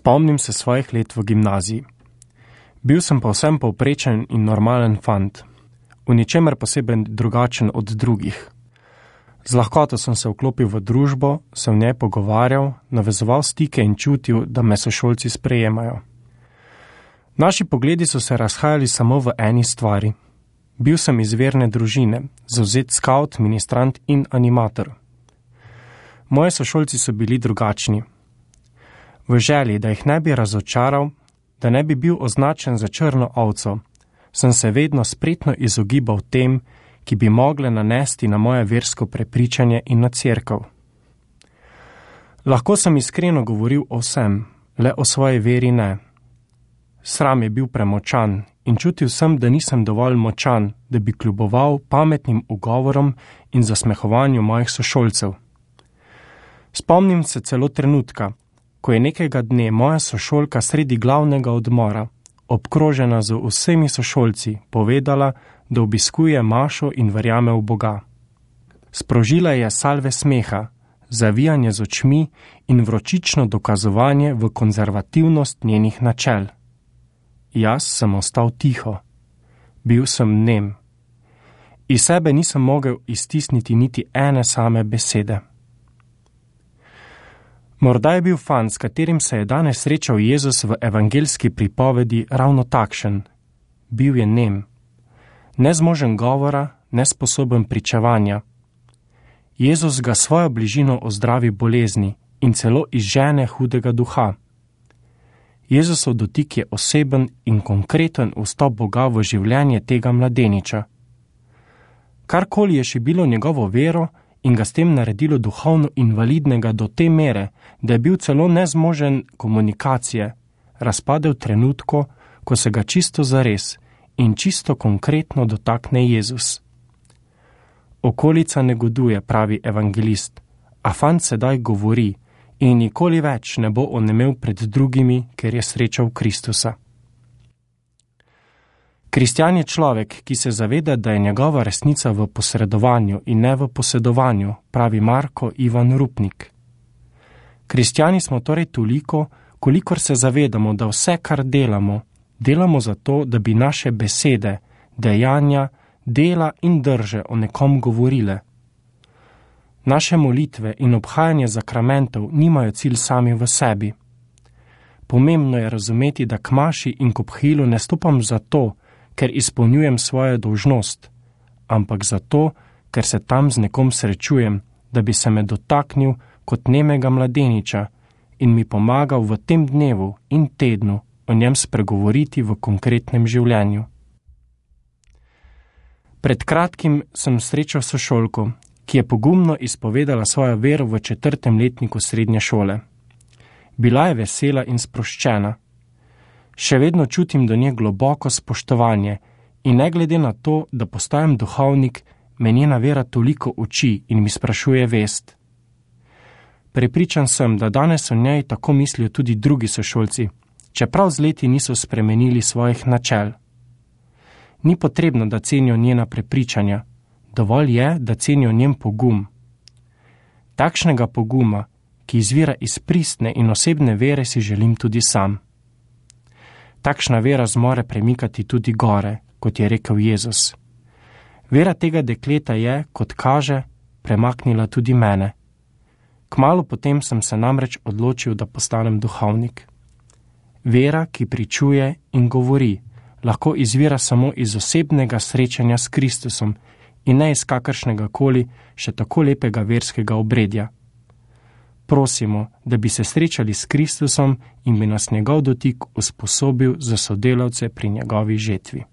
Spomnim se svojih let v gimnaziji. Bil sem povsem povprečen in normalen fant, v ničemer poseben drugačen od drugih. Z lahkoto sem se vklopil v družbo, se v njej pogovarjal, navezoval stike in čutil, da me sošolci sprejemajo. Naši pogledi so se razhajali samo v eni stvari. Bil sem iz verne družine, zavzet skavt, ministrant in animator. Moji sošolci so bili drugačni. V želji, da jih ne bi razočaral, da ne bi bil označen za črno ovco, sem se vedno spretno izogibal tem, ki bi mogle nanesti na moje versko prepričanje in na cerkev. Lahko sem iskreno govoril o vsem, le o svoji veri ne. Sram je bil premočan in čutil sem, da nisem dovolj močan, da bi kljuboval pametnim ugovorom in zasmehovanju mojih sošolcev. Spomnim se celo trenutka, ko je nekega dne moja sošolka sredi glavnega odmora, obkrožena z vsemi sošolci, povedala, da obiskuje mašo in verjame v Boga. Sprožila je salve smeha, zavijanje z očmi in vročično dokazovanje v konzervativnost njenih načel. Jaz sem ostal tiho. Bil sem nem. Iz sebe nisem mogel iztisniti niti ene same besede. Morda je bil fant, s katerim se je danes srečal Jezus v evangeljski pripovedi, ravno takšen. Bil je nem. Nezmožen govora, nesposoben pričevanja. Jezus ga svojo bližino ozdravi bolezni in celo izžene hudega duha. Jezusov dotik je oseben in konkreten vstop Boga v življenje tega mladeniča. Karkoli je šibilo njegovo vero in ga s tem naredilo duhovno invalidnega do te mere, da je bil celo nezmožen komunikacije, razpadel trenutko, ko se ga čisto zares in čisto konkretno dotakne Jezus. Okolica negoduje, pravi evangelist, a fant sedaj govori in nikoli več ne bo onemel pred drugimi, ker je srečal Kristusa. Kristjan je človek, ki se zaveda, da je njegova resnica v posredovanju in ne v posedovanju, pravi Marko Ivan Rupnik. Kristjani smo torej toliko, kolikor se zavedamo, da vse, kar delamo, delamo zato, da bi naše besede, dejanja, dela in drže o nekom govorile. Naše molitve in obhajanje zakramentov nimajo cilj sami v sebi. Pomembno je razumeti, da k maši in k obhilu ne stopam zato, ker izpolnjujem svojo dolžnost, ampak zato, ker se tam z nekom srečujem, da bi se me dotaknil kot nemega mladeniča in mi pomagal v tem dnevu in tednu o njem spregovoriti v konkretnem življenju. Pred kratkim sem srečal sošolko, ki je pogumno izpovedala svojo vero v 4. letniku srednje šole. Bila je vesela in sproščena. Še vedno čutim do nje globoko spoštovanje in ne glede na to, da postajam duhovnik, me njena vera toliko uči in mi sprašuje vest. Prepričan sem, da danes o njej tako mislijo tudi drugi sošolci, čeprav z leti niso spremenili svojih načel. Ni potrebno, da cenijo njena prepričanja, dovolj je, da cenijo njen pogum. Takšnega poguma, ki izvira iz pristne in osebne vere, si želim tudi sam. Takšna vera zmore premikati tudi gore, kot je rekel Jezus. Vera tega dekleta je, kot kaže, premaknila tudi mene. Kmalu potem sem se namreč odločil, da postanem duhovnik. Vera, ki pričuje in govori, lahko izvira samo iz osebnega srečanja s Kristusom in ne iz kakršnega koli še tako lepega verskega obredja. Prosimo, da bi se srečali s Kristusom in bi nas njegov dotik usposobil za sodelavce pri njegovi žetvi.